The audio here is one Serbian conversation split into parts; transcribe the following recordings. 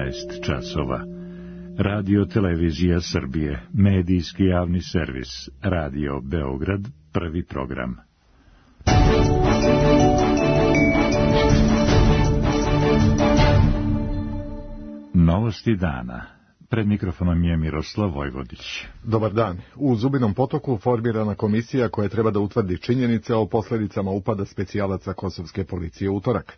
14 časova. Radio Televizija Srbije, medijski javni servis, Radio Beograd, prvi program. Novosti dana. Pred mikrofonom je Miroslav Vojvodić. Dobar dan. U Zubinom Potoku formirana komisija koja treba da utvrdi činjenice o posljedicama upada specijalaca kosovske policije u utorak.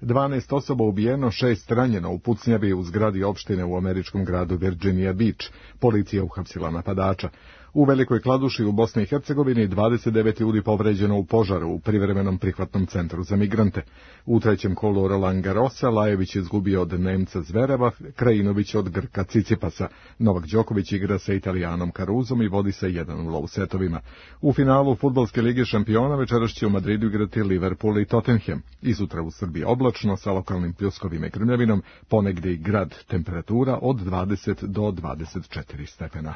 12 osoba ubijeno, 6 ranjeno u pucnjavi u zgradi opštine u američkom gradu Virginia Beach. Policija uhapsila napadača. U Velikoj Kladuši u Bosni i Hercegovini 29 ljudi povređeno u požaru u privremenom prihvatnom centru za migrante. U trećem kolu Roland Garrosa Lajević izgubio od Nemca Zvereva, Krajinović od Grka Cicipasa. Novak Đoković igra sa Italijanom Caruzom i vodi sa 1-0 u setovima. U finalu Fudbalske lige šampiona večeras će u Madridu igrati Liverpool i Tottenham. I sutra u Srbiji oblačno sa lokalnim pljuskovima i grmljavinom, ponegdje i grad, temperatura od 20 do 24 stepena.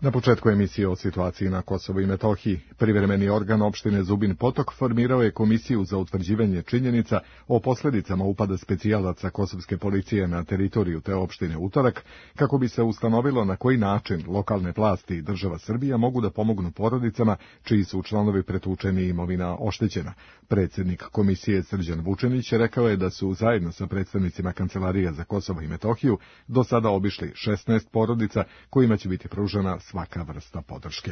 Na početku emisije o situaciji na Kosovu i Metohiji, privremeni organ opštine Zubin Potok formirao je komisiju za utvrđivanje činjenica o posljedicama upada specijalaca kosovske policije na teritoriju te opštine utorak, kako bi se ustanovilo na koji način lokalne vlasti i država Srbija mogu da pomognu porodicama čiji su članovi pretučeni i imovina oštećena. Predsjednik komisije Srđan Vučenić rekao je da su zajedno sa predstavnicima Kancelarija za Kosovo i Metohiju do sada obišli 16 porodica kojima će biti pružena svaka vrsta podrške.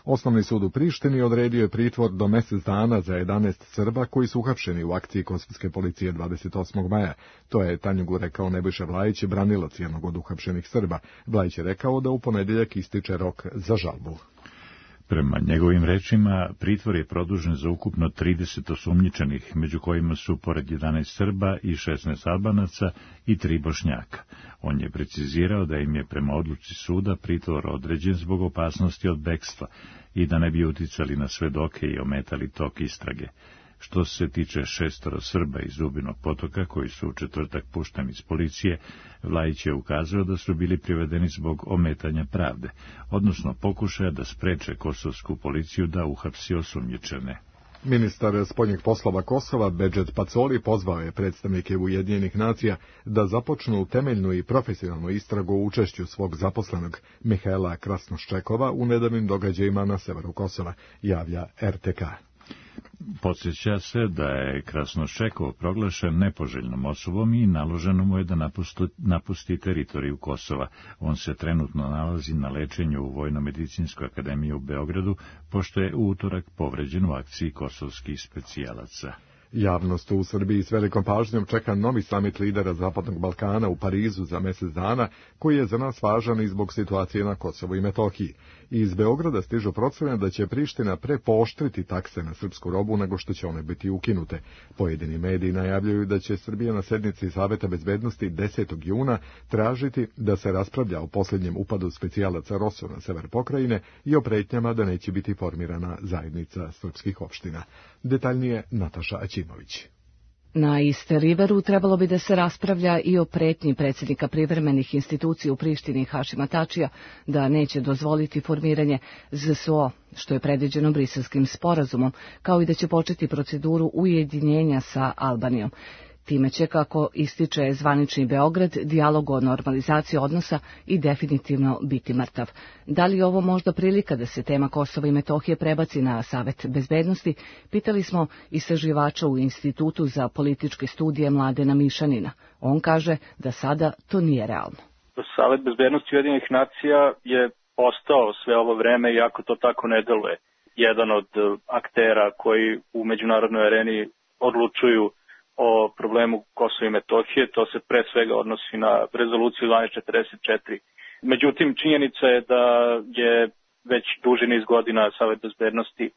Osnovni sud u Prištini odredio je pritvor do mjesec dana za 11 Srba koji su uhapšeni u akciji kosovske policije 28. maja. To je Tanjugu rekao Nebojša Vlajić, branilac jednog od uhapšenih Srba. Vlajić je rekao da u ponedjeljak ističe rok za žalbu. Prema njegovim rečima, pritvor je produžen za ukupno 30 osumnjičenih, među kojima su pored 11 Srba i 16 Albanaca i 3 Bošnjaka. On je precizirao da im je prema odluci suda pritvor određen zbog opasnosti od bekstva i da ne bi uticali na svedoke i ometali tok istrage. Što se tiče 6 Srba iz Zubinog Potoka, koji su u četvrtak pušteni iz policije, Vlajić je ukazao da su bili privedeni zbog ometanja pravde, odnosno pokušaja da spreče kosovsku policiju da uhapsi osumnjičene. Ministar spoljnih poslova Kosova, Bedžet Pacoli, pozvao je predstavnike Ujedinjenih nacija da započnu temeljnu i profesionalnu istragu o učešću svog zaposlenog Mihaela Krasnoščekova u nedavnim događajima na severu Kosova, javlja RTK. Podsjeća se da je Krasnoščekov proglašen nepoželjnom osobom i naloženo mu je da napusti teritoriju Kosova. On se trenutno nalazi na lečenju u Vojno-medicinskoj akademiji u Beogradu, pošto je u utorak povređen u akciji kosovskih specijalaca. Javnost u Srbiji s velikom pažnjom čeka novi samit lidera Zapadnog Balkana u Parizu za mjesec dana, koji je za nas važan i zbog situacije na Kosovu i Metohiji. Iz Beograda stižu procene da će Priština prepooštriti takse na srpsku robu nego što će one biti ukinute. Pojedini mediji najavljuju da će Srbija na sednici Saveta bezbednosti 10. juna tražiti da se raspravlja o posljednjem upadu specijalaca ROSU na sever pokrajine i o pretnjama da neće biti formirana zajednica srpskih opština. Detaljnije Nataša Aćimović. Na East Riveru trebalo bi da se raspravlja i o pretnji predsjednika privremenih institucija u Prištini Hašima Tačija da neće dozvoliti formiranje ZSO, što je predviđeno Briselskim sporazumom, kao i da će početi proceduru ujedinjenja sa Albanijom. Time će, kako ističe zvanični Beograd, dijalog o normalizaciji odnosa i definitivno biti mrtav. Da li je ovo možda prilika da se tema Kosova i Metohije prebaci na Savet bezbednosti, pitali smo istraživača u Institutu za političke studije Mladena Mišanina. On kaže da sada to nije realno. Savet bezbednosti Ujedinjenih nacija je ostao sve ovo vreme, iako to tako ne deluje, jedan od aktera koji u međunarodnoj areni odlučuju o problemu Kosova i Metohije. To se pre svega odnosi na rezoluciju 1244. Međutim, činjenica je da je već duži niz godina Savet bezbednosti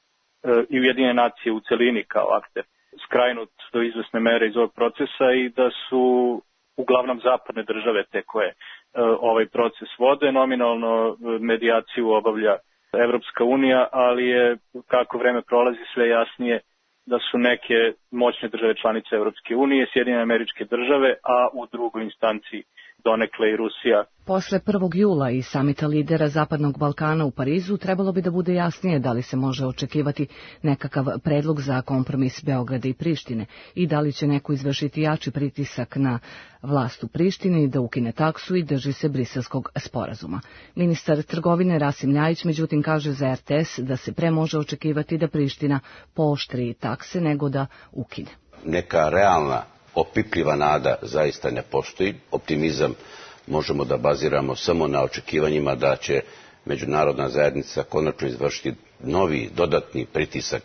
i Ujedinjene nacije u celini kao akter skrajnut do izvesne mere iz ovog procesa i da su uglavnom zapadne države te koje ovaj proces vode. Nominalno medijaciju obavlja Evropska unija, ali je kako vreme prolazi sve jasnije da su neke moćne države članice Evropske unije, Sjedinjene Američke Države, a u drugoj instanciji donekle i Rusija. Posle 1. jula i samita lidera Zapadnog Balkana u Parizu trebalo bi da bude jasnije da li se može očekivati nekakav predlog za kompromis Beograda i Prištine i da li će neko izvršiti jači pritisak na vlast u Prištini da ukine taksu i drži se Briselskog sporazuma. Ministar trgovine Rasim Ljajić međutim kaže za RTS da se pre može očekivati da Priština pooštri takse nego da ukine. Neka realna, opipljiva nada zaista ne postoji. Optimizam možemo da baziramo samo na očekivanjima da će međunarodna zajednica konačno izvršiti novi, dodatni pritisak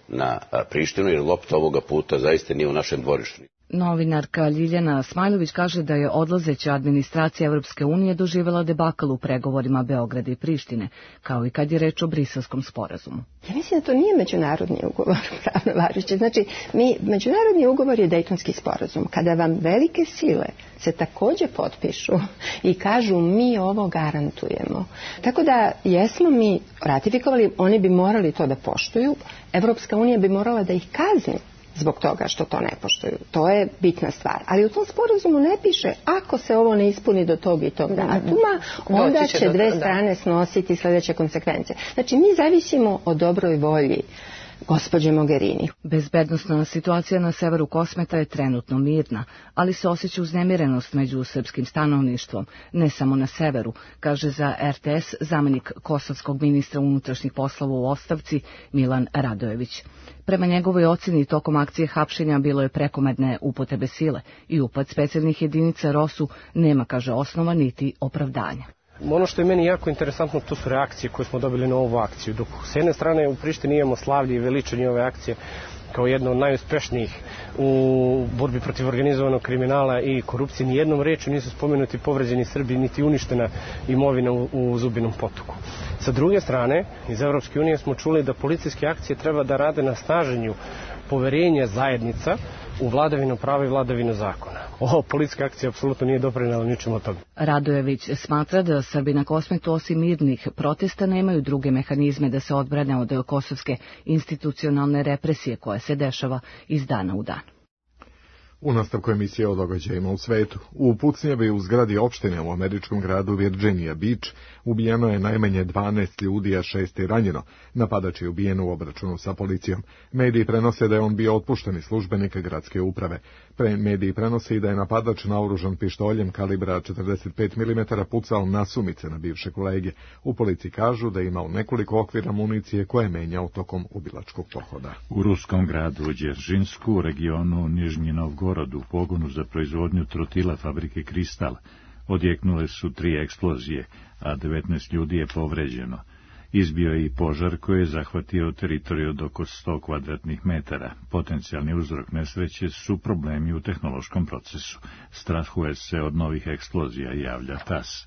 na Prištinu, jer lopta ovoga puta zaista nije u našem dvorištu. Novinarka Ljiljana Smajlović kaže da je odlazeća administracija Evropske unije doživjela debakl u pregovorima Beograda i Prištine, kao i kad je reč o Briselskom sporazumu. Ja mislim da to nije međunarodni ugovor pravno važeći. Znači, međunarodni ugovor je Dejtonski sporazum. Kada vam velike sile se također potpišu i kažu mi ovo garantujemo. Tako da jesmo mi ratifikovali, oni bi morali to da poštuju, Evropska unija bi morala da ih kazni zbog toga što to ne poštuju. To je bitna stvar. Ali u tom sporazumu ne piše ako se ovo ne ispuni do tog i tog datuma, onda će dve strane snositi sljedeće konsekvence. Znači, mi zavisimo o dobroj volji gospođe Mogherini. Bezbednosna situacija na severu Kosmeta je trenutno mirna, ali se osjeća uznemirenost među srpskim stanovništvom, ne samo na severu, kaže za RTS zamenik kosovskog ministra unutrašnjih poslova u ostavci Milan Radojević. Prema njegovoj ocjeni tokom akcije hapšenja bilo je prekomerne upotrebe sile i upad specijalnih jedinica ROSU nema, kaže, osnova niti opravdanja. Ono što je meni jako interesantno, to su reakcije koje smo dobili na ovu akciju. Dok s jedne strane u Prištini imamo slavlje i veličanje ove akcije kao jedno od najuspešnijih u borbi protiv organizovanog kriminala i korupcije, ni jednom rečju nisu spomenuti povređeni Srbi niti uništena imovina u Zubinom Potoku. Sa druge strane, iz Evropske unije smo čuli da policijske akcije treba da rade na snaženju poverenja zajednica u vladavinu prava i vladavinu zakona. Ova policijska akcija apsolutno nije doprinela ničemu od toga. Radojević smatra da Srbi na Kosmetu osim mirnih protesta nemaju druge mehanizme da se odbrane od kosovske institucionalne represije koja se dešava iz dana u dan. U nastavku emisije o događajima u svetu. U pucnjavi u zgradi opštine u američkom gradu Virginia Beach ubijeno je najmanje 12 ljudi, a 6 je ranjeno. Napadač je ubijen u obračunu sa policijom. Mediji prenose da je on bio otpušten iz službenika gradske uprave. Mediji prenose i da je napadač naoružan pištoljem kalibra 45 mm pucao nasumice na bivše kolege. U policiji kažu da je imao nekoliko okvira municije koje je menjao tokom ubilačkog pohoda. U ruskom gradu Đeržinsku, u regionu Nižnji Novgorod, u pogonu za proizvodnju trotila fabrike Kristal, odjeknule su 3 eksplozije, a 19 ljudi je povređeno. Izbio je i požar koji je zahvatio teritoriju od oko 100 kvadratnih metara. Potencijalni uzrok nesreće su problemi u tehnološkom procesu. Strahuje se od novih eksplozija, javlja TASS.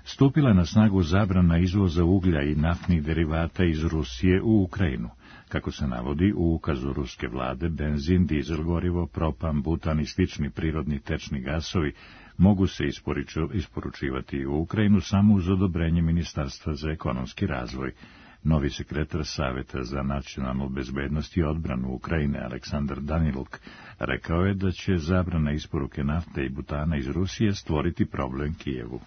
Stupila je na snagu zabrana izvoza uglja i naftnih derivata iz Rusije u Ukrajinu. Kako se navodi u ukazu ruske vlade, benzin, dizel gorivo, propan, butan i slični prirodni tečni gasovi mogu se isporučivati u Ukrajinu samo uz odobrenje Ministarstva za ekonomski razvoj. Novi sekretar Saveta za nacionalnu bezbednost i odbranu Ukrajine, Aleksandar Daniluk, rekao je da će zabrana isporuke nafte i butana iz Rusije stvoriti problem Kijevu.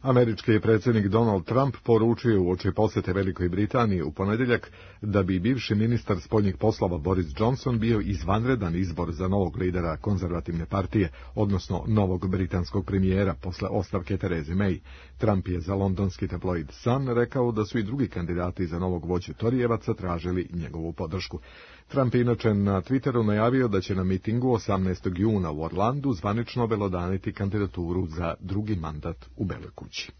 Američki predsjednik Donald Trump poručio uoči posjete Velikoj Britaniji u ponedjeljak da bi bivši ministar spoljnih poslova Boris Johnson bio izvanredan izbor za novog lidera konzervativne partije, odnosno novog britanskog premijera posle ostavke Therese May. Trump je za londonski tabloid Sun rekao da su i drugi kandidati za novog vođu Torijevaca tražili njegovu podršku. Trump je inače na Twitteru najavio da će na mitingu 18. juna u Orlandu zvanično obelodaniti kandidaturu za drugi mandat u Beloj kući.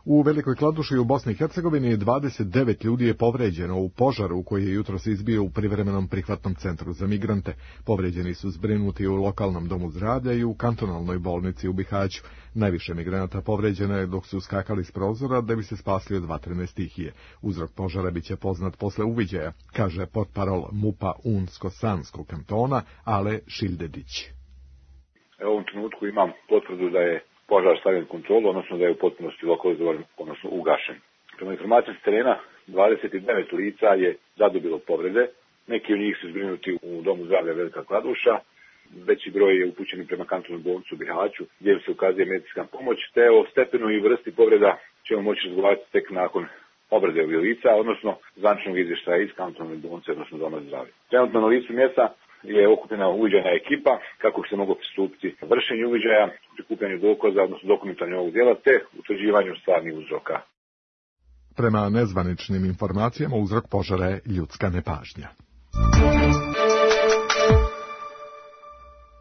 U Velikoj Kladuši u Bosni i Hercegovini 29 ljudi je povređeno u požaru koji je jutros izbio u privremenom prihvatnom centru za migrante. Povređeni su zbrinuti u lokalnom domu zdravlja i u kantonalnoj bolnici u Bihaću. Najviše migranata povređeno je dok su skakali s prozora da bi se spasli od vatrene stihije. Uzrok požara biće poznat posle uviđaja, kaže portparol MUP-a Unsko-Sanskog kantona Ale Šildedić. U ovom trenutku imam potvrdu da je požar stavljen u kontrolu, odnosno da je u potpunosti lokalizovan, odnosno ugašen. Prema informacijama s terena, 29 lica je zadobilo povrede, neki od njih su zbrinuti u domu zdravlja Velika Kladuša, veći broj je upućen prema kantonalnom bolnicu u Bihaću, gdje im se ukazuje medicinska pomoć, te o stepenu i vrsti povreda ćemo moći razgovarati tek nakon obrade ovih lica, odnosno zvaničnog izvještaja iz kantonalne bolnice, odnosno doma zdravlja. Trenutno na licu mjesta je okupljena uviđajna ekipa kako bi se moglo pristupiti vršenju uviđaja, prikupljanju dokaza, odnosno dokumentanju ovog djela, te utvrđivanju stvarnih uzroka. Prema nezvaničnim informacijama uzrok požara je ljudska nepažnja.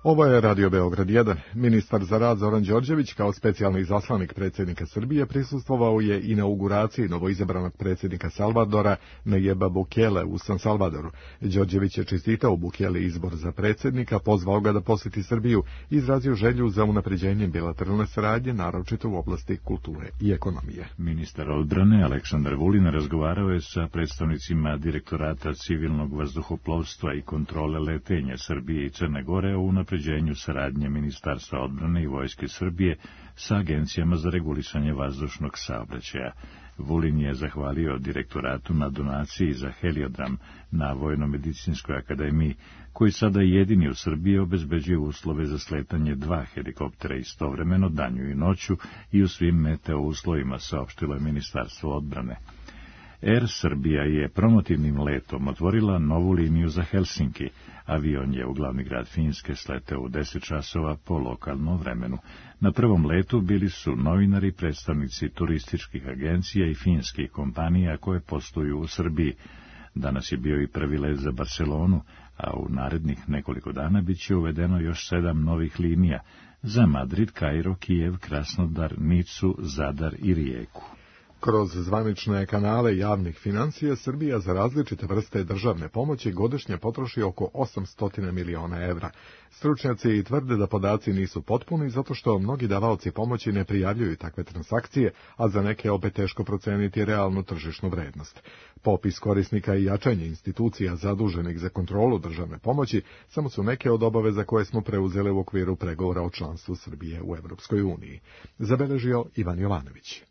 Ovo je Radio Beograd 1. Ministar za rad Zoran Đorđević kao specijalni izaslanik predsjednika Srbije prisustvovao je inauguraciji novoizabranog predsjednika Salvadora Nayeba Bukele u San Salvadoru. Đorđević je čestitao Bukele izbor za predsjednika, pozvao ga da posjeti Srbiju i izrazio želju za unapređenjem bilateralne saradnje, naročito u oblasti kulture i ekonomije. Ministar odbrane Aleksandar Vulin razgovarao je sa predstavnicima Direktorata civilnog vazduhoplovstva i kontrole letenja Srbije i Crne Gore o unapređenju saradnje Ministarstva odbrane i Vojske Srbije sa agencijama za regulisanje vazdušnog saobraćaja. Vulin je zahvalio direktoratu na donaciji za heliodram na Vojno-medicinskoj akademiji, koji sada jedini u Srbiji obezbeđuje uslove za sletanje 2 helikoptera istovremeno danju i noću i u svim meteo uslovima, saopštilo je Ministarstvo odbrane. Air Srbija je promotivnim letom otvorila novu liniju za Helsinki. Avion je u glavni grad Finske sleteo u 10 časova po lokalnom vremenu. Na prvom letu bili su novinari, predstavnici turističkih agencija i finskih kompanija koje posluju u Srbiji. Danas je bio i prvi let za Barcelonu, a u narednih nekoliko dana bit će uvedeno još 7 novih linija za Madrid, Kairo, Kijev, Krasnodar, Nicu, Zadar i Rijeku. Kroz zvanične kanale javnih financija Srbija za različite vrste državne pomoći godišnje potroši oko 800 miliona evra. Stručnjaci tvrde da podaci nisu potpuni zato što mnogi davaoci pomoći ne prijavljuju takve transakcije, a za neke opet teško proceniti realnu tržišnu vrednost. Popis korisnika i jačanje institucija zaduženih za kontrolu državne pomoći samo su neke od obaveza koje smo preuzeli u okviru pregovora o članstvu Srbije u Evropskoj uniji. Zabeležio Ivan Jovanović.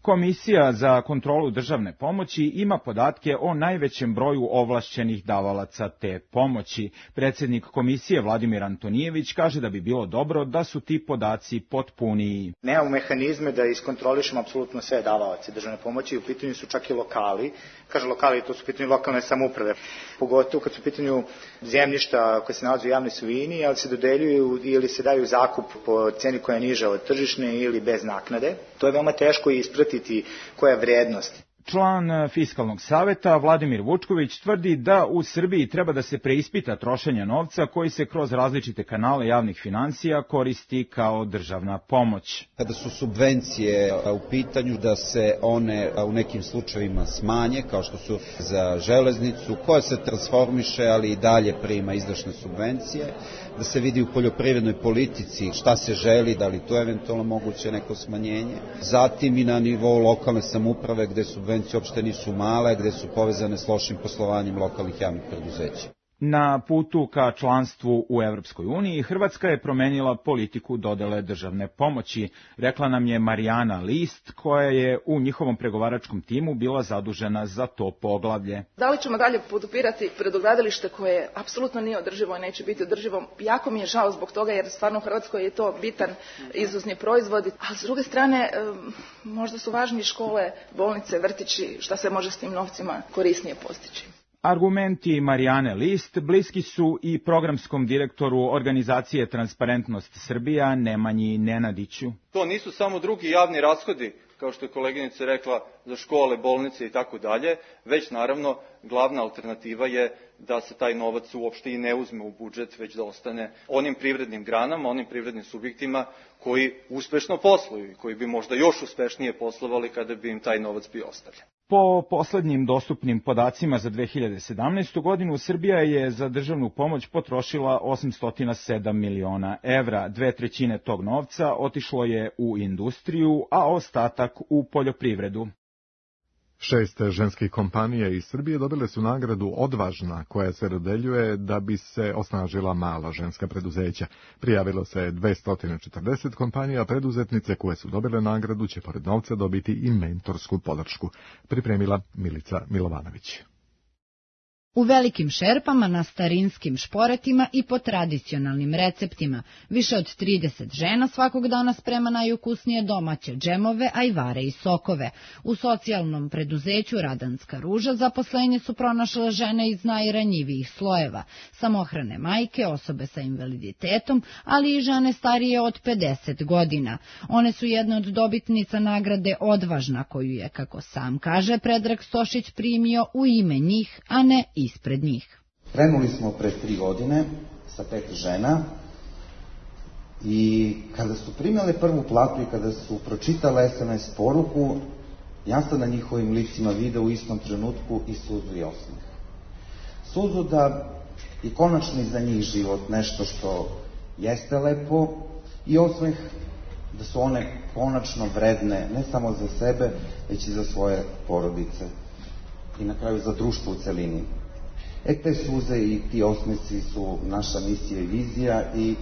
Komisija za kontrolu državne pomoći ima podatke o najvećem broju ovlašćenih davalaca te pomoći. Predsjednik komisije Vladimir Antonijević kaže da bi bilo dobro da su ti podaci potpuniji. Nemamo mehanizme da iskontrolišemo apsolutno sve davalace državne pomoći, u pitanju su čak i lokali. Kaže lokali, to su u pitanju lokalne samouprave. Pogotovo kad su u pitanju zemljišta koje se nalaze u javnoj svojini, ali se dodeljuju ili se daju zakup po ceni koja je niža od tržišne ili bez naknade. To je veoma teško ispratiti koja je vrednost. Član Fiskalnog saveta Vladimir Vučković tvrdi da u Srbiji treba da se preispita trošenje novca koji se kroz različite kanale javnih financija koristi kao državna pomoć. Kada su subvencije u pitanju, da se one u nekim slučajevima smanje, kao što su za železnicu, koja se transformiše, ali i dalje prima izdašne subvencije, da se vidi u poljoprivrednoj politici šta se želi, da li to eventualno moguće neko smanjenje. Zatim i na nivou lokalne samouprave gde subvencije uopšte nisu male, gde su povezane s lošim poslovanjem lokalnih javnih preduzeća. Na putu ka članstvu u Evropskoj uniji Hrvatska je promenila politiku dodele državne pomoći, rekla nam je Marijana List, koja je u njihovom pregovaračkom timu bila zadužena za to poglavlje. Da li ćemo dalje podupirati predogradilište koje apsolutno nije održivo i neće biti održivo? Jako mi je žao zbog toga jer stvarno u Hrvatskoj je to bitan izvozni proizvod, a s druge strane možda su važnije škole, bolnice, vrtići, šta se može s tim novcima korisnije postići. Argumenti Marijane List bliski su i programskom direktoru organizacije Transparentnost Srbija Nemanji Nenadiću. To nisu samo drugi javni rashodi, kao što je koleginica rekla, za škole, bolnice i tako dalje, već naravno glavna alternativa je da se taj novac uopšte i ne uzme u budžet, već da ostane onim privrednim granama, onim privrednim subjektima koji uspešno posluju i koji bi možda još uspešnije poslovali kada bi im taj novac bio ostavljen. Po poslednjim dostupnim podacima za 2017. godinu, Srbija je za državnu pomoć potrošila 807 miliona evra. 2/3 tog novca otišlo je u industriju, a ostatak u poljoprivredu. 6 ženskih kompanija iz Srbije dobile su nagradu Odvažna, koja se dodeljuje da bi se osnažila mala ženska preduzeća. Prijavilo se 240 kompanija, preduzetnice koje su dobile nagradu će pored novca dobiti i mentorsku podršku. Pripremila Milica Milovanović. U velikim šerpama, na starinskim šporetima i po tradicionalnim receptima. Više od 30 žena svakog dana sprema najukusnije domaće džemove, ajvare i sokove. U socijalnom preduzeću Radanska ruža zaposlenje su pronašle žene iz najranjivijih slojeva, samohrane majke, osobe sa invaliditetom, ali i žene starije od 50 godina. One su jedne od dobitnica nagrade Odvažna, koju je, kako sam kaže, Predrag Stošić primio u ime njih, a ne ispred njih. Krenuli smo pre 3 godine sa 5 žena i kada su primile prvu platu i kada su pročitale SMS poruku, ja sam na njihovim licima video u istom trenutku i suzu i osmeh. Suzu da je konačno za njih život nešto što jeste lepo i osmeh da su one konačno vredne ne samo za sebe, već i za svoje porodice i na kraju za društvo u celini. Te suze i ti osmesi su naša misija i vizija i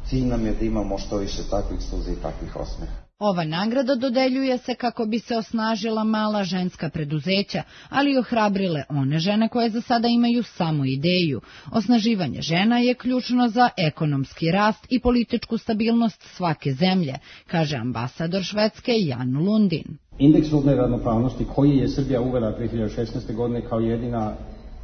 cilj nam je da imamo što više takvih suza i takvih osmeha. Ova nagrada dodeljuje se kako bi se osnažila mala ženska preduzeća, ali i ohrabrile one žene koje za sada imaju samo ideju. Osnaživanje žena je ključno za ekonomski rast i političku stabilnost svake zemlje, kaže ambasador Švedske Jan Lundin. Indeks rodne ravnopravnosti koji je Srbija uvela 2016. godine kao jedina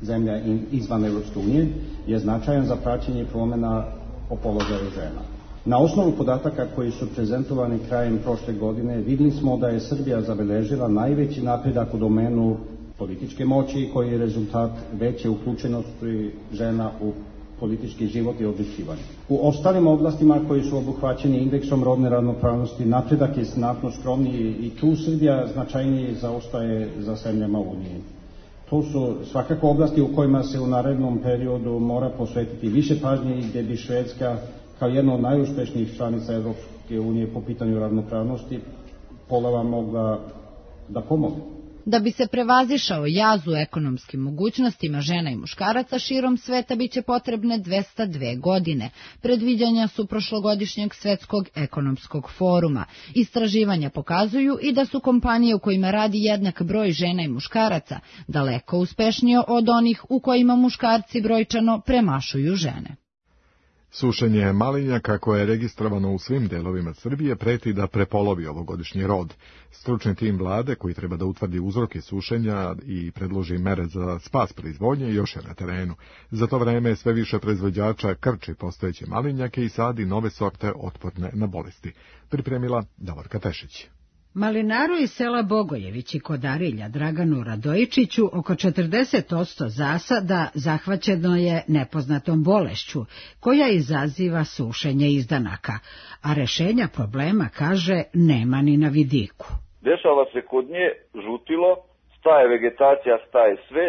zemlja izvan Evropske unije je značajan za praćenje promjena o položaju žena. Na osnovu podataka koji su prezentovani krajem prošle godine vidjeli smo da je Srbija zabeležila najveći napredak u domenu političke moći koji je rezultat veće uključenosti žena u politički život i odlučivanje. U ostalim oblastima koji su obuhvaćeni indeksom rodne ravnopravnosti napredak je znatno skromniji i tu Srbija značajnije zaostaje za zemljama Unije. To su svakako oblasti u kojima se u narednom periodu mora posvetiti više pažnje i gdje bi Švedska kao jedna od najuspešnijih članica Evropske unije po pitanju ravnopravnosti polova mogla da pomogne. Da bi se prevazišao jaz u ekonomskim mogućnostima žena i muškaraca širom sveta biće potrebne 202 godine. Predviđanja su prošlogodišnjeg Svetskog ekonomskog foruma. Istraživanja pokazuju i da su kompanije u kojima radi jednak broj žena i muškaraca daleko uspešnije od onih u kojima muškarci brojčano premašuju žene. Sušenje malinjaka koje je registrovano u svim delovima Srbije preti da prepolovi ovogodišnji rod. Stručni tim vlade koji treba da utvrdi uzroke sušenja i predloži mere za spas proizvodnje još je na terenu. Za to vreme sve više proizvođača krči postojeće malinjake i sadi nove sorte otporne na bolesti. Pripremila Davorka Tešić. Malinaru iz sela Bogojevići kod Arilja Draganu Radojičiću oko 40% zasada zahvaćeno je nepoznatom bolešću, koja izaziva sušenje izdanaka, a rešenja problema, kaže, nema ni na vidiku. Dešava se kod nje žutilo, staje vegetacija, staje sve,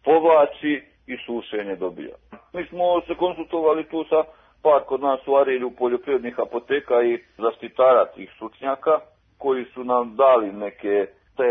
povlači i sušenje dobija. Mi smo se konsultovali tu sa par kod nas u Arilju poljoprivrednih apoteka i zaštitara tih stručnjaka, koji su nam dali neke te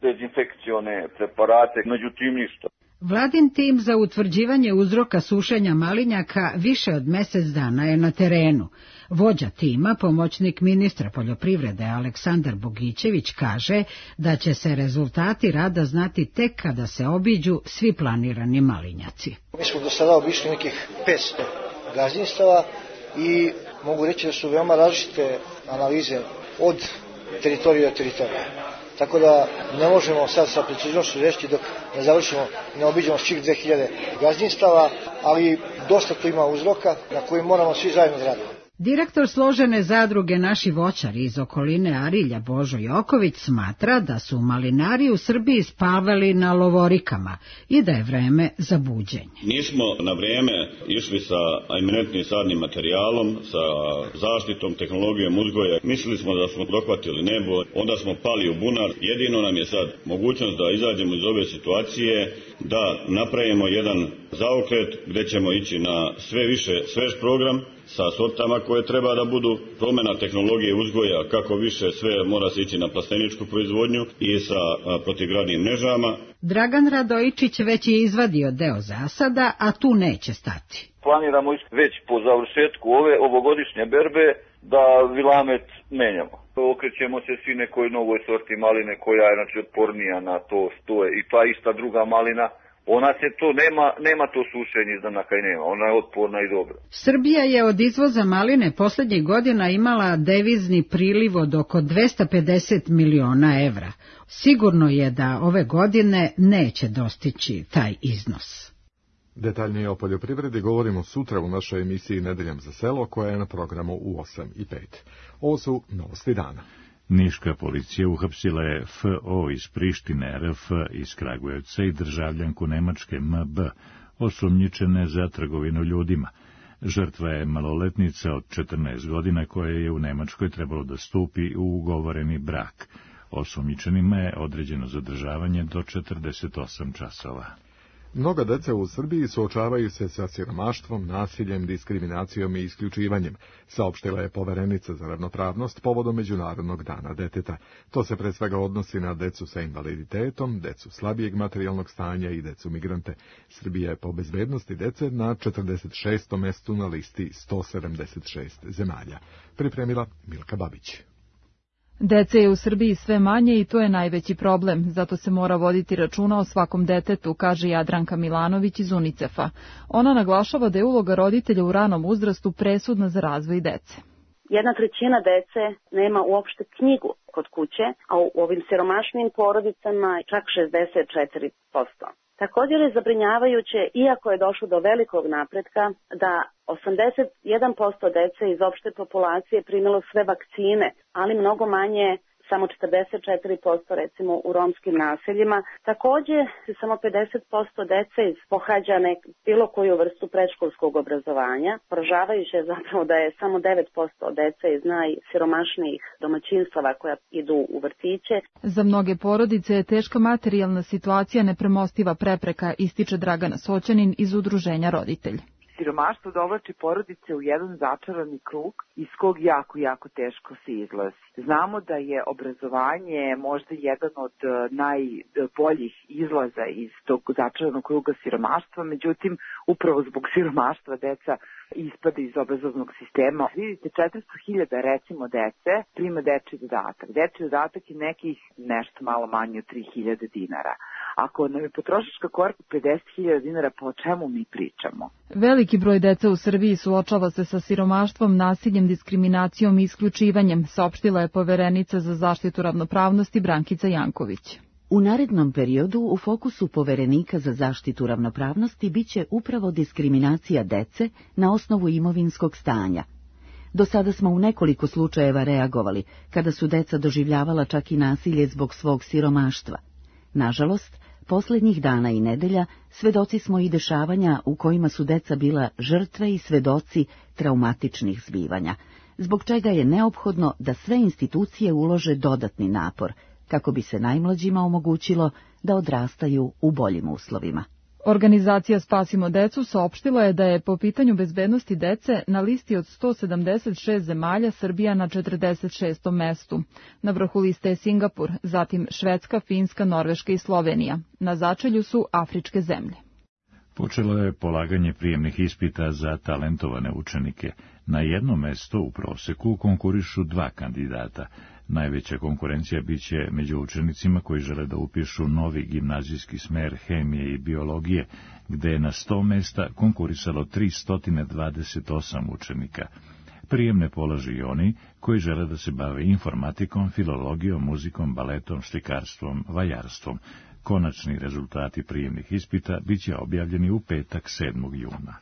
dezinfekcione preparate, međutim ništa. Vladin tim za utvrđivanje uzroka sušenja malinjaka više od mjesec dana je na terenu. Vođa tima, pomoćnik ministra poljoprivrede Aleksandar Bogićević, kaže da će se rezultati rada znati tek kada se obiđu svi planirani malinjaci. Mi smo do sada obišli nekih 500 gazdinstava i mogu reći da su veoma različite analize od teritorija do teritorija. Tako da ne možemo sad sa preciznošću reći dok ne završimo i ne obiđemo svih 2000 gazdinstava, ali dosta tu ima uzroka na koji moramo svi zajedno raditi. Direktor složene zadruge Naši voćari iz okoline Arilja Božo Joković smatra da su malinari u Srbiji spavali na lovorikama i da je vreme za buđenje. Nismo na vrijeme išli sa eminentnim sadnim materijalom, sa zaštitom, tehnologijom uzgoja. Mislili smo da smo dohvatili nebo, onda smo pali u bunar. Jedino nam je sad mogućnost da izađemo iz ove situacije, da napravimo jedan zaokret gdje ćemo ići na sve više svež program, sa sortama koje treba da budu, promjena tehnologije uzgoja, kako više sve mora se ići na plasteničku proizvodnju i sa protivgradnim mrežama. Dragan Radojičić već je izvadio deo zasada, a tu neće stati. Planiramo već po završetku ove ovogodišnje berbe da vilamet menjamo. Okrećemo se svi nekoj novoj sorti maline koja je otpornija na to što je i ta ista druga malina Ona se to, nema to sušenje izdanaka i nema, ona je otporna i dobra. Srbija je od izvoza maline posljednjih godina imala devizni priliv od oko 250 miliona evra. Sigurno je da ove godine neće dostići taj iznos. Detaljnije o poljoprivredi govorimo sutra u našoj emisiji Nedeljom za selo, koja je na programu u 8:05. Ovo su novosti dana. Niška policija uhapsila je FO iz Prištine, RF iz Kragujevca i državljanku Nemačke MB, osumnjičene za trgovinu ljudima. Žrtva je maloletnica od 14 godina koja je u Nemačkoj trebalo da stupi u ugovoreni brak. Osumnjičenima je određeno zadržavanje do 48 časova. Mnoga deca u Srbiji suočavaju se sa siromaštvom, nasiljem, diskriminacijom i isključivanjem, saopštila je poverenica za ravnopravnost povodom Međunarodnog dana deteta. To se pre svega odnosi na decu sa invaliditetom, decu slabijeg materijalnog stanja i decu migrante. Srbija je po bezbednosti dece na 46. mestu na listi 176 zemalja. Pripremila Milka Babić. Dece je u Srbiji sve manje i to je najveći problem, zato se mora voditi računa o svakom detetu, kaže Jadranka Milanović iz UNICEF-a. Ona naglašava da je uloga roditelja u ranom uzrastu presudna za razvoj dece. 1/3 dece nema uopšte knjigu kod kuće, a u ovim siromašnim porodicama čak 64%. Također je zabrinjavajuće, iako je došlo do velikog napretka, da 81% dece iz opšte populacije primilo sve vakcine, ali mnogo manje, samo 44% recimo u romskim naseljima. Također samo 50% dece pohađa bilo koju vrstu predškolskog obrazovanja. Poražavajuće je zapravo da je samo 9% dece iz najsiromašnijih domaćinstava koja idu u vrtiće. Za mnoge porodice je teška materijalna situacija nepremostiva prepreka, ističe Dragana Soćanin iz udruženja Roditelj. Siromaštvo dovlači porodice u jedan začarani krug iz kog jako teško se izlazi. Znamo da je obrazovanje možda jedan od najboljih izlaza iz tog začaranog kruga siromaštva, međutim, upravo zbog siromaštva deca ispada iz obrazovnog sistema. Vidite, 400.000 recimo dece prima dečji dodatak. Dečji dodatak je nekih nešto malo manje od 3.000 dinara. Ako nam je potrošačka korpa 50.000 dinara, po čemu mi pričamo? Veliki broj dece u Srbiji suočava se sa siromaštvom, nasiljem, diskriminacijom i isključivanjem, saopštila je poverenica za zaštitu ravnopravnosti Brankica Janković. U narednom periodu u fokusu poverenika za zaštitu ravnopravnosti biće upravo diskriminacija dece na osnovu imovinskog stanja. Do sada smo u nekoliko slučajeva reagovali, kada su deca doživljavala čak i nasilje zbog svog siromaštva. Nažalost, posljednjih dana i nedelja svedoci smo i dešavanja u kojima su deca bila žrtve i svedoci traumatičnih zbivanja, zbog čega je neophodno da sve institucije ulože dodatni napor, kako bi se najmlađima omogućilo da odrastaju u boljim uslovima. Organizacija Spasimo decu saopštila je da je po pitanju bezbednosti dece na listi od 176 zemalja Srbija na 46. mestu. Na vrhu liste je Singapur, zatim Švedska, Finska, Norveška i Slovenija. Na začelju su afričke zemlje. Počelo je polaganje prijemnih ispita za talentovane učenike. Na jednom mestu u proseku konkurišu 2 kandidata. Najveća konkurencija biće među učenicima koji žele da upišu novi gimnazijski smer hemije i biologije, gde je na 100 mesta konkurisalo 328 učenika. Prijemne polažu i oni koji žele da se bave informatikom, filologijom, muzikom, baletom, slikarstvom, vajarstvom. Konačni rezultati prijemnih ispita biće objavljeni u petak 7. juna.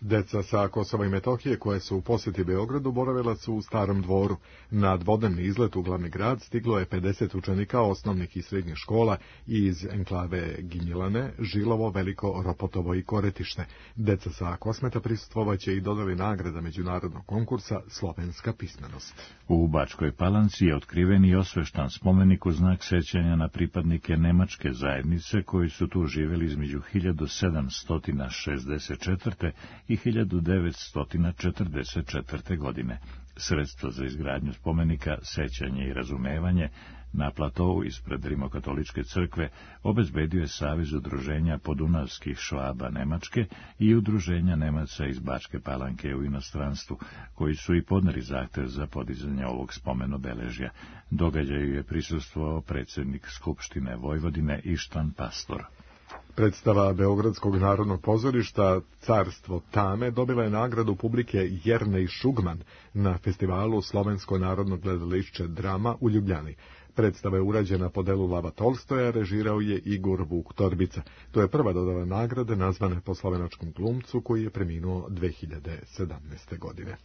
Deca sa Kosova i Metohije koje su u posjeti Beogradu boravila su u Starom Dvoru. Na dvodnevni izlet u glavni grad stiglo je 50 učenika osnovnih i srednjih škola iz enklave Ginjilane, Žilovo, Veliko, Ropotovo i Koretište. Deca sa Kosmeta prisustvovaće i dodali nagrada međunarodnog konkursa Slovenska pismenost. U Bačkoj Palanci je otkriven i osveštan spomenik u znak sećanja na pripadnike nemačke zajednice koji su tu živjeli između 1764. i 1944. godine. Sredstva za izgradnju spomenika, sećanje i razumevanje na platovu ispred Rimokatoličke crkve obezbedio je Savez udruženja podunavskih Švaba Nemačke i udruženja Nemaca iz Bačke Palanke u inostranstvu, koji su i podneli zahtev za podizanje ovog spomenobeležja. Događaju je prisustvovao predsjednik Skupštine Vojvodine Ištvan Pastor. Predstava Beogradskog narodnog pozorišta Carstvo tame dobila je nagradu publike Jernej Šugman na festivalu Slovensko narodno gledališće Drama u Ljubljani. Predstava je urađena po delu Lava Tolstoja, režirao je Igor Vuk Torbica. To je prva dodala nagrade nazvane po slovenačkom glumcu koji je preminuo 2017. godine.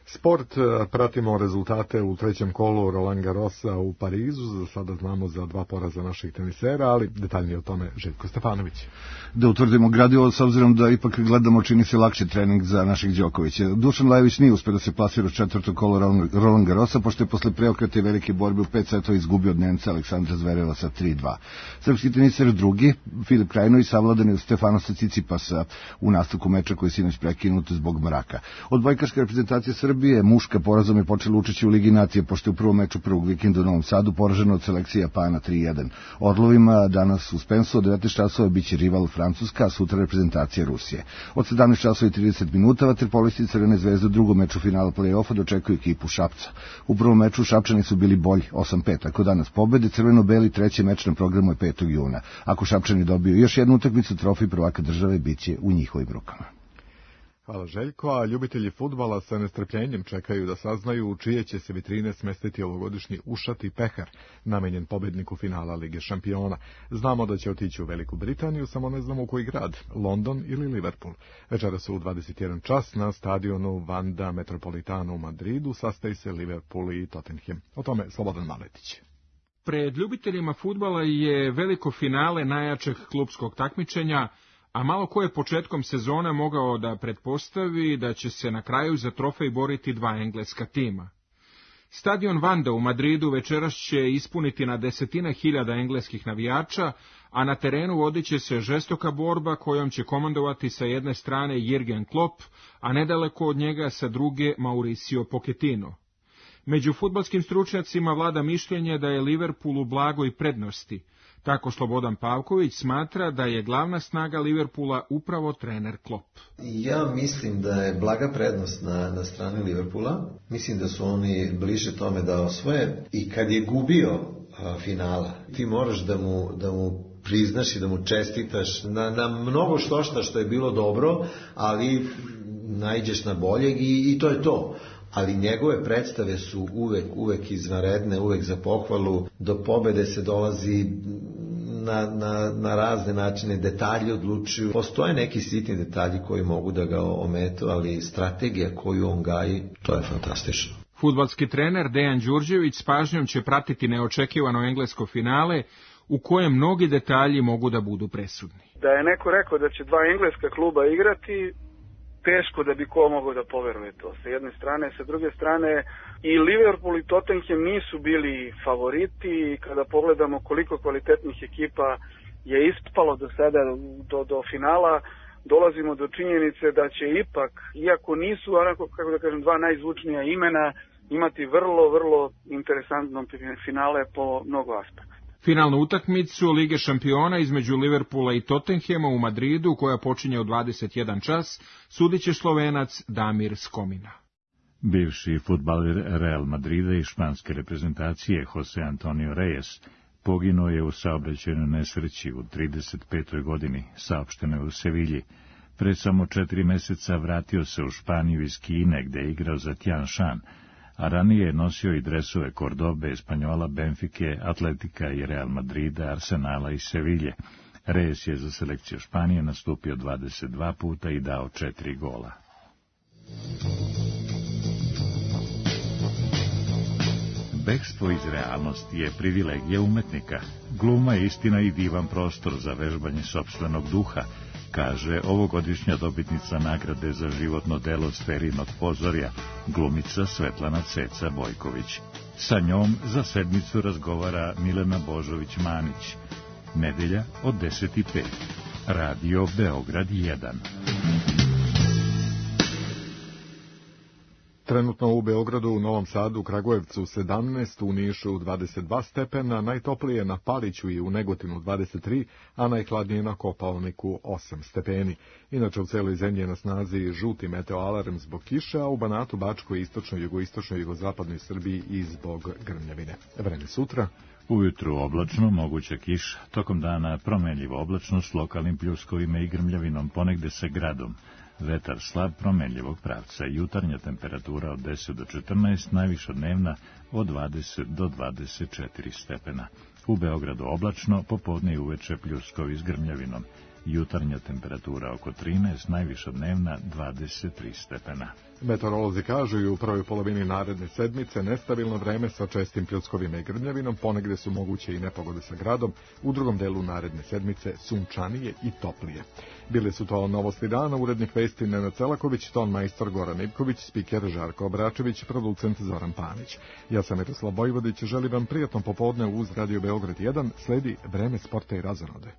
Sport, pratimo rezultate u trećem kolu Roland Garrosa u Parizu. Za sada znamo za 2 poraza naših tenisera, ali detaljnije o tome Željko Stefanović. Da utvrdimo gradivo, s obzirom da ipak gledamo, čini se lakši trening za našeg Đokovića. Dušan Lajović nije uspio da se plasira u četvrto kolo Roland Garrosa, pošto je posle preokreta i velike borbe u 5 setova izgubio od Nemca Aleksandra Zvereva sa 3-2. Srpski teniser drugi, Filip Krajinović, savladan je od Stefanosa Cicipasa u nastavku meča koji je sinoć prekinut zbog mraka. Odbojkaška reprezentacija Srbije muška porazom je počela učešće u Ligi nacije, pošto je u prvom meču prvog vikenda u Novom Sadu poraženo od selekcije Japana 3-1. Orlovima danas u Spensu od 19 časova biće rival Francuska, a sutra reprezentacija Rusije. Od 17 časova i 30 minuta vaterpolisti Crvene zvezde u drugom meču finala play-offa dočekuju ekipu Šapca. U prvom meču Šapčani su bili bolji 8-5. Ako danas pobede, crveno-beli treći meč na programu je 5. juna. Ako Šapčani dobiju još jednu utakmicu, trofej prvaka države biće u njihovim rukama. Hvala Željko, a ljubitelji fudbala sa nestrpljenjem čekaju da saznaju u čije će se vitrine smestiti ovogodišnji ušati pehar, namenjen pobedniku finala Lige šampiona. Znamo da će otići u Veliku Britaniju, samo ne znamo u koji grad, London ili Liverpool. Večera su u 21 čas na stadionu Wanda Metropolitano u Madridu sastaje se Liverpool i Tottenham. O tome Slobodan Maletić. Pred ljubiteljima fudbala je veliko finale najjačeg klupskog takmičenja, a malo ko je početkom sezone mogao da pretpostavi da će se na kraju za trofej boriti 2 engleska tima. Stadion Wanda u Madridu večeras će ispuniti na desetine hiljada engleskih navijača, a na terenu vodit će se žestoka borba kojom će komandovati sa jedne strane Jürgen Klopp, a nedaleko od njega sa druge Mauricio Pochettino. Među fudbalskim stručnjacima vlada mišljenje da je Liverpool u blagoj prednosti. Tako Slobodan Pavković smatra da je glavna snaga Liverpoola upravo trener Klopp. Ja mislim da je blaga prednost na strani Liverpoola. Mislim da su oni bliže tome da osvoje. I kad je gubio finala, ti moraš da mu priznaš i da mu čestitaš na mnogo što je bilo dobro, ali naiđeš na boljeg i to je to. Ali njegove predstave su uvek izvanredne, uvek za pohvalu. Do pobede se dolazi na razne načine, detalji odlučuju. Postoje neki sitni detalji koji mogu da ga ometu, ali strategija koju on gaji, to je fantastično. Fudbalski trener Dejan Đurđević s pažnjom će pratiti neočekivano englesko finale, u kojem mnogi detalji mogu da budu presudni. Da je neko rekao da će 2 engleska kluba igrati, teško da bi ko mogao da poveruje to. Sa jedne strane, sa druge strane i Liverpool i Tottenham nisu bili favoriti i kada pogledamo koliko kvalitetnih ekipa je ispalo do sada do finala, dolazimo do činjenice da će ipak, iako nisu onako, kako da kažem, 2 najzvučnija imena, imati vrlo interesantno finale po mnogo aspekta. Finalnu utakmicu Lige šampiona između Liverpoola i Tottenhama u Madridu, koja počinje u 21 čas, sudit će Slovenac Damir Skomina. Bivši fudbaler Real Madrida i španske reprezentacije Jose Antonio Reyes poginuo je u saobraćajnoj nesreći u 35. godini, saopšteno je u Sevilji. Pred samo 4 meseca vratio se u Španiju iz Kine, gde je igrao za Tian Shan, a ranije je nosio i dresove Cordobe, Espanjola, Benfike, Atletika i Real Madrida, Arsenala i Sevilje. Reyes je za selekciju Španije nastupio 22 puta i dao 4 gola. Bekstvo iz realnosti je privilegija umetnika. Gluma je istina i divan prostor za vežbanje sopstvenog duha, kaže ovogodišnja dobitnica nagrade za životno delo Sferinog pozorja, glumica Svetlana Ceca Bojković. Sa njom za sedmicu razgovara Milena Božović-Manić. Nedelja od 10:05. Radio Beograd 1. Trenutno u Beogradu, u Novom Sadu, Kragujevcu 17, u Nišu 22 stepena, najtoplije na Paliću i u Negotinu 23, a najhladnije na Kopaoniku 8 stepeni. Inače u celoj zemlji je na snazi žuti meteoalarm zbog kiše, a u Banatu, Bačkoj, istočnoj, jugoistočnoj, jugozapadnoj Srbiji i zbog grmljavine. Vreme sutra. Ujutru oblačno, moguća kiša, tokom dana promenljivo oblačno s lokalnim pljuskovima i grmljavinom, ponegde sa gradom. Vetar slab promenljivog pravca, jutarnja temperatura od 10 do 14, najviša dnevna od 20 do 24 stepena. U Beogradu oblačno, popodne i uveče pljuskovi s grmljavinom. Jutarnja temperatura oko 13, najviša dnevna 23 stepena. Meteorolozi kažu i u prvoj polovini naredne sedmice nestabilno vreme sa čestim pljuskovima i grmljavinom, ponegde su moguće i nepogode sa gradom, u drugom delu naredne sedmice sunčanije i toplije. Bile su to novosti dana, urednik vesti Nenad Celaković, ton majstor Goran Ivković, spiker Žarko Obračević, producent Zoran Panić. Ja sam Miroslav Bojvodić, želim vam prijatno popodne uz Radio Beograd 1, sledi vreme sporta i razonode.